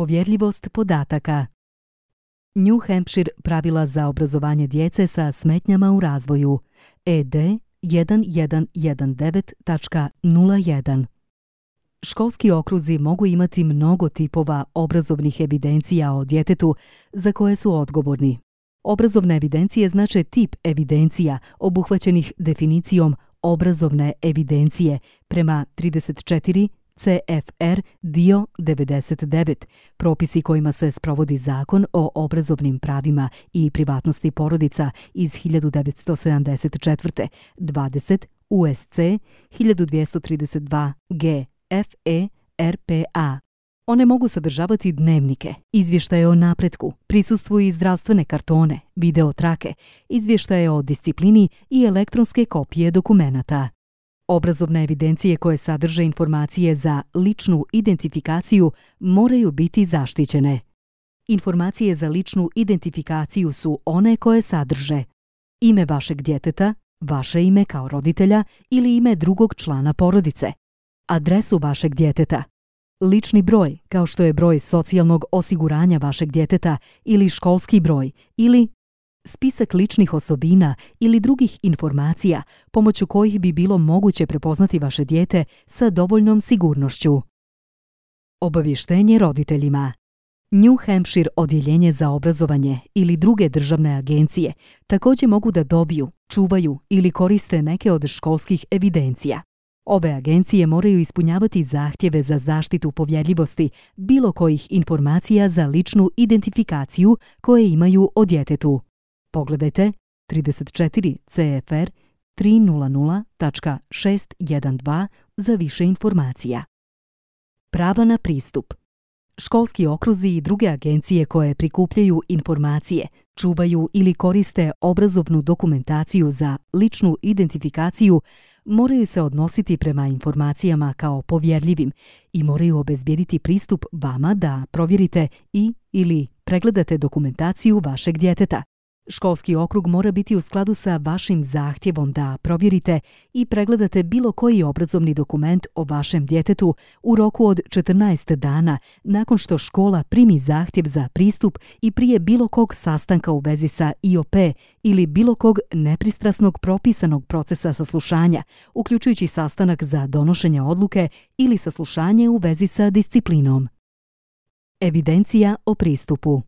povjerljivost podataka. New Hampshire pravila za obrazovanje djece sa smetnjama u razvoju ED 1119.01. Školski okruzi mogu imati mnogo tipova obrazovnih evidencija o djetetu za koje su odgovorni. Obrazovne evidencije znače tip evidencija obuhvaćenih definicijom obrazovne evidencije prema 34 CFR dio 99, propisi kojima se sprovodi Zakon o obrazovnim pravima i privatnosti porodica iz 1974, 20 USC 1232 G FE RPA. One mogu sadržavati dnevnike, izvještaje o napretku, prisustvu i zdravstvene kartone, video trake, izvještaje o disciplini i elektronske kopije dokumenata. Obrazovne evidencije koje sadrže informacije za ličnu identifikaciju moraju biti zaštićene. Informacije za ličnu identifikaciju su one koje sadrže ime vašeg djeteta, vaše ime kao roditelja ili ime drugog člana porodice, adresu vašeg djeteta, lični broj kao što je broj socijalnog osiguranja vašeg djeteta ili školski broj ili spisak ličnih osobina ili drugih informacija pomoću kojih bi bilo moguće prepoznati vaše dijete sa dovoljnom sigurnošću. Obavještenje roditeljima. New Hampshire odjeljenje za obrazovanje ili druge državne agencije također mogu da dobiju, čuvaju ili koriste neke od školskih evidencija. Ove agencije moraju ispunjavati zahtjeve za zaštitu povjerljivosti bilo kojih informacija za ličnu identifikaciju koje imaju o djetetu. Pogledajte 34 CFR 300.612 za više informacija. Prava na pristup. Školski okruzi i druge agencije koje prikupljaju informacije, čuvaju ili koriste obrazovnu dokumentaciju za ličnu identifikaciju moraju se odnositi prema informacijama kao povjerljivim i moraju obezbijediti pristup vama da provjerite ili pregledate dokumentaciju vašeg djeteta. Školski okrug mora biti u skladu sa vašim zahtjevom da provjerite i pregledate bilo koji obrazovni dokument o vašem djetetu u roku od 14 dana nakon što škola primi zahtjev za pristup i prije bilo kog sastanka u vezi sa IOP ili bilo kog nepristrasnog propisanog procesa saslušanja, uključujući sastanak za donošenje odluke ili saslušanje u vezi sa disciplinom. Evidencija o pristupu.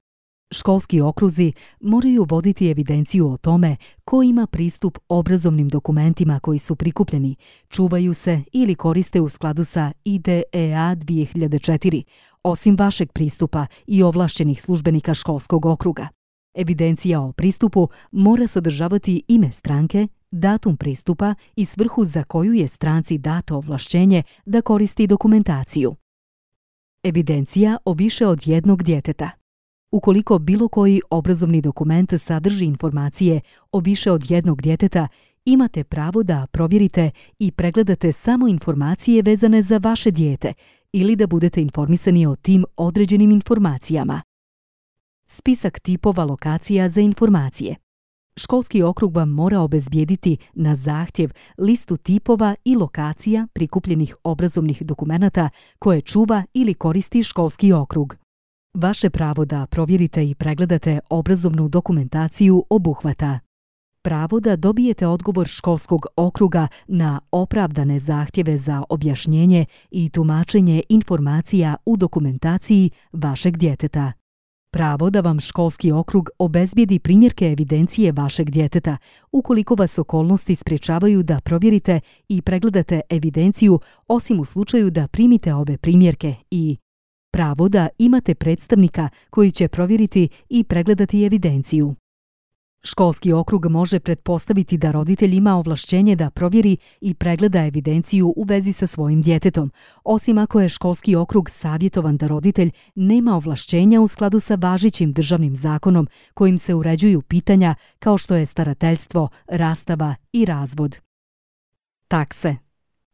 Školski okruzi moraju voditi evidenciju o tome ko ima pristup obrazovnim dokumentima koji su prikupljeni, čuvaju se ili koriste u skladu sa IDEA 2004, osim vašeg pristupa i ovlašćenih službenika školskog okruga. Evidencija o pristupu mora sadržavati ime stranke, datum pristupa i svrhu za koju je stranci dato ovlašćenje da koristi dokumentaciju. Evidencija o više od jednog djeteta. Ukoliko bilo koji obrazovni dokument sadrži informacije o više od jednog djeteta, imate pravo da provjerite i pregledate samo informacije vezane za vaše dijete ili da budete informisani o tim određenim informacijama. Spisak tipova lokacija za informacije. Školski okrug vam mora obezbijediti na zahtjev listu tipova i lokacija prikupljenih obrazovnih dokumenata koje čuva ili koristi školski okrug. Vaše pravo da provjerite i pregledate obrazovnu dokumentaciju obuhvata pravo da dobijete odgovor školskog okruga na opravdane zahtjeve za objašnjenje i tumačenje informacija u dokumentaciji vašeg djeteta, pravo da vam školski okrug obezbijedi primjerke evidencije vašeg djeteta ukoliko vas okolnosti sprječavaju da provjerite i pregledate evidenciju osim u slučaju da primite ove primjerke i pravo da imate predstavnika koji će provjeriti i pregledati evidenciju. Školski okrug može pretpostaviti da roditelj ima ovlašćenje da provjeri i pregleda evidenciju u vezi sa svojim djetetom, osim ako je školski okrug savjetovan da roditelj nema ovlašćenja u skladu sa važećim državnim zakonom kojim se uređuju pitanja kao što je starateljstvo, rastava i razvod. Takse.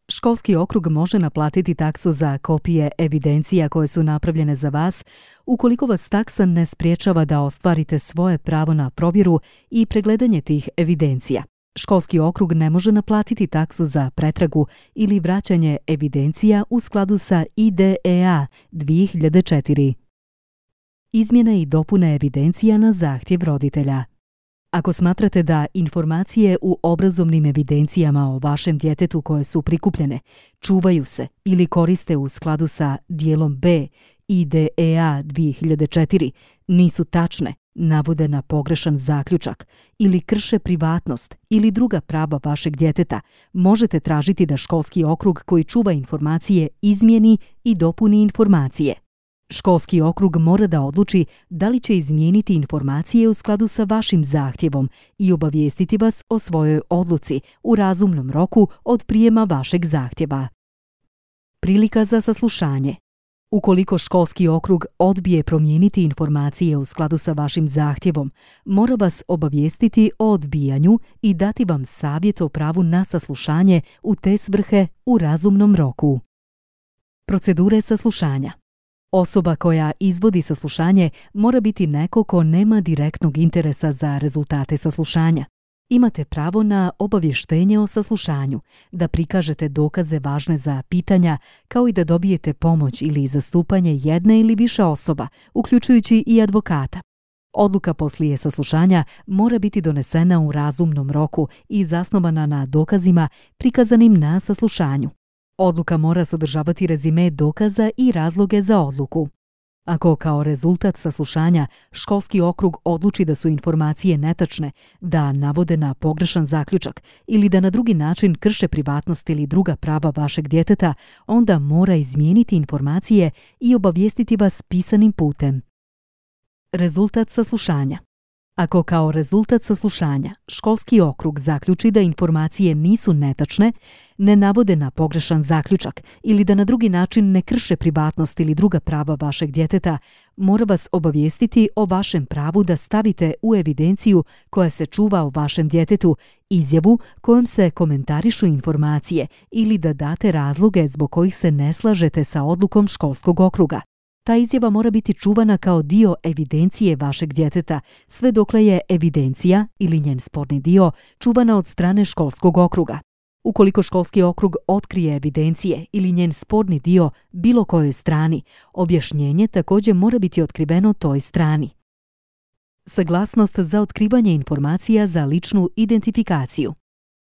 Školski okrug može naplatiti taksu za kopije evidencija koje su napravljene za vas ukoliko vas taksa ne spriječava da ostvarite svoje pravo na provjeru i pregledanje tih evidencija. Školski okrug ne može naplatiti taksu za pretragu ili vraćanje evidencija u skladu sa IDEA 2004. Izmjene i dopune evidencija na zahtjev roditelja. Ako smatrate da informacije u obrazovnim evidencijama o vašem djetetu koje su prikupljene, čuvaju se ili koriste u skladu sa dijelom B IDEA 2004 nisu tačne, navode na pogrešan zaključak ili krše privatnost ili druga prava vašeg djeteta, možete tražiti da školski okrug koji čuva informacije izmijeni i dopuni informacije. Školski okrug mora da odluči da li će izmijeniti informacije u skladu sa vašim zahtjevom i obavijestiti vas o svojoj odluci u razumnom roku od prijema vašeg zahtjeva. Prilika za saslušanje. Ukoliko školski okrug odbije promijeniti informacije u skladu sa vašim zahtjevom, mora vas obavijestiti o odbijanju i dati vam savjet o pravu na saslušanje u te svrhe u razumnom roku. Procedure saslušanja. Osoba koja izvodi saslušanje mora biti neko ko nema direktnog interesa za rezultate saslušanja. Imate pravo na obavještenje o saslušanju, da prikažete dokaze važne za pitanja, kao i da dobijete pomoć ili zastupanje jedne ili više osoba, uključujući i advokata. Odluka poslije saslušanja mora biti donesena u razumnom roku i zasnovana na dokazima prikazanim na saslušanju. Odluka mora sadržavati rezime dokaza i razloge za odluku. Ako kao rezultat saslušanja školski okrug odluči da su informacije netačne, da navode na pogrešan zaključak ili da na drugi način krše privatnost ili druga prava vašeg djeteta, onda mora izmijeniti informacije i obavijestiti vas pisanim putem. Rezultat saslušanja. Ako kao rezultat saslušanja školski okrug zaključi da informacije nisu netačne, ne navode na pogrešan zaključak ili da na drugi način ne krše privatnost ili druga prava vašeg djeteta, mora vas obavijestiti o vašem pravu da stavite u evidenciju koja se čuva o vašem djetetu izjavu kojom se komentarišu informacije ili da date razloge zbog kojih se ne slažete sa odlukom školskog okruga. Ta izjava mora biti čuvana kao dio evidencije vašeg djeteta, sve dokle je evidencija ili njen sporni dio čuvana od strane školskog okruga. Ukoliko školski okrug otkrije evidencije ili njen sporni dio bilo kojoj strani, objašnjenje također mora biti otkriveno toj strani. Saglasnost za otkrivanje informacija za ličnu identifikaciju.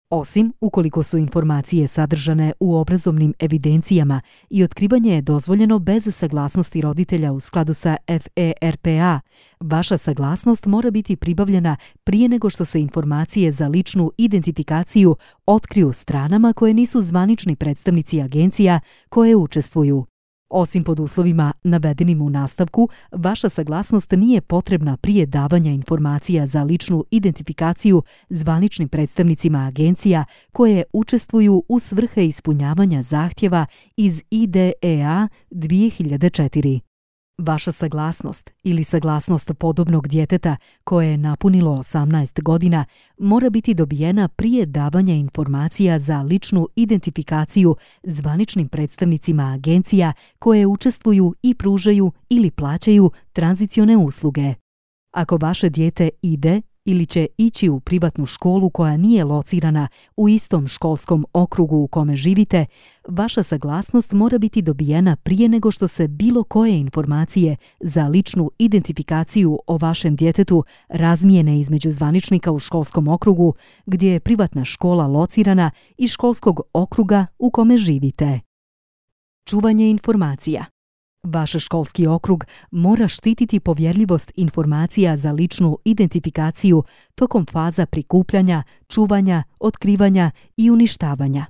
Osim ukoliko su informacije sadržane u obrazovnim evidencijama i otkrivanje je dozvoljeno bez saglasnosti roditelja u skladu sa FERPA, vaša saglasnost mora biti pribavljena prije nego što se informacije za ličnu identifikaciju otkriju stranama koje nisu zvanični predstavnici agencija koje učestvuju. Osim pod uslovima navedenim u nastavku, vaša saglasnost nije potrebna prije davanja informacija za ličnu identifikaciju zvaničnim predstavnicima agencija koje učestvuju u svrhe ispunjavanja zahtjeva iz IDEA 2004. Vaša saglasnost ili saglasnost podobnog djeteta koje je napunilo 18 godina mora biti dobijena prije davanja informacija za ličnu identifikaciju zvaničnim predstavnicima agencija koje učestvuju i pružaju ili plaćaju tranzicione usluge. Ako vaše dijete ide ili će ići u privatnu školu koja nije locirana u istom školskom okrugu u kome živite, vaša saglasnost mora biti dobijena prije nego što se bilo koje informacije za ličnu identifikaciju o vašem djetetu razmijene između zvaničnika u školskom okrugu gdje je privatna škola locirana i školskog okruga u kome živite. Čuvanje informacija. Vaš školski okrug mora štititi povjerljivost informacija za ličnu identifikaciju tokom faza prikupljanja, čuvanja, otkrivanja i uništavanja.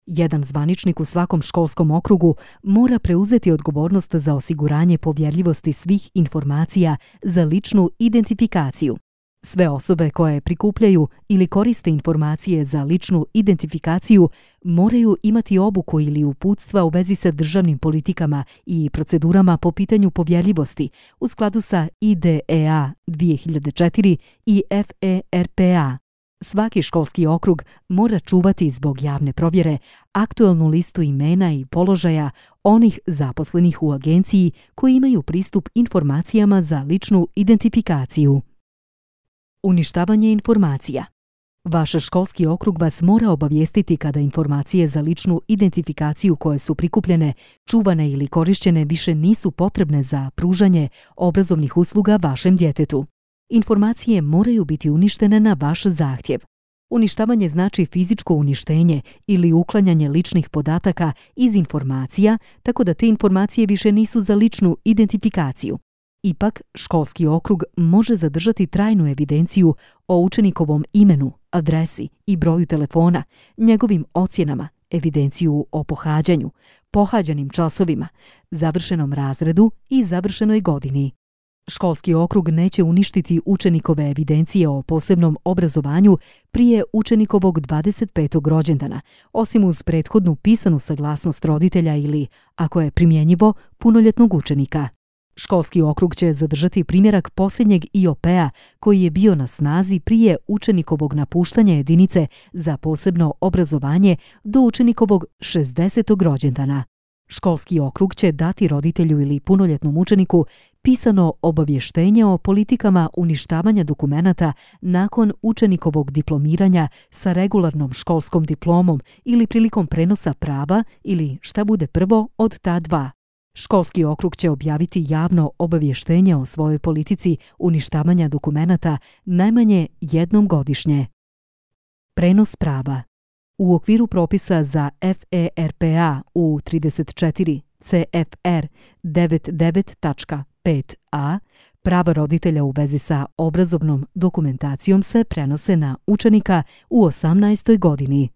Jedan zvaničnik u svakom školskom okrugu mora preuzeti odgovornost za osiguranje povjerljivosti svih informacija za ličnu identifikaciju. Sve osobe koje prikupljaju ili koriste informacije za ličnu identifikaciju moraju imati obuku ili uputstva u vezi sa državnim politikama i procedurama po pitanju povjerljivosti u skladu sa IDEA 2004 i FERPA. Svaki školski okrug mora čuvati zbog javne provjere aktualnu listu imena i položaja onih zaposlenih u agenciji koji imaju pristup informacijama za ličnu identifikaciju. Uništavanje informacija. Vaš školski okrug vas mora obavijestiti kada informacije za ličnu identifikaciju koje su prikupljene, čuvane ili korišćene više nisu potrebne za pružanje obrazovnih usluga vašem djetetu. Informacije moraju biti uništene na vaš zahtjev. Uništavanje znači fizičko uništenje ili uklanjanje ličnih podataka iz informacija, tako da te informacije više nisu za ličnu identifikaciju. Ipak, školski okrug može zadržati trajnu evidenciju o učenikovom imenu, adresi i broju telefona, njegovim ocjenama, evidenciju o pohađanju, pohađanim časovima, završenom razredu i završenoj godini. Školski okrug neće uništiti učenikove evidencije o posebnom obrazovanju prije učenikovog 25. rođendana, osim uz prethodnu pisanu saglasnost roditelja ili, ako je primjenjivo, punoljetnog učenika. Školski okrug će zadržati primjerak posljednjeg IOP-a koji je bio na snazi prije učenikovog napuštanja jedinice za posebno obrazovanje do učenikovog 60. rođendana. Školski okrug će dati roditelju ili punoljetnom učeniku pisano obavještenje o politikama uništavanja dokumenata nakon učenikovog diplomiranja sa regularnom školskom diplomom ili prilikom prenosa prava ili šta bude prvo od ta dva. Školski okrug će objaviti javno obavještenje o svojoj politici uništavanja dokumenata najmanje jednom godišnje. Prenos prava. U okviru propisa za FERPA u 34 CFR 99.5a prava roditelja u vezi sa obrazovnom dokumentacijom se prenose na učenika u 18. godini.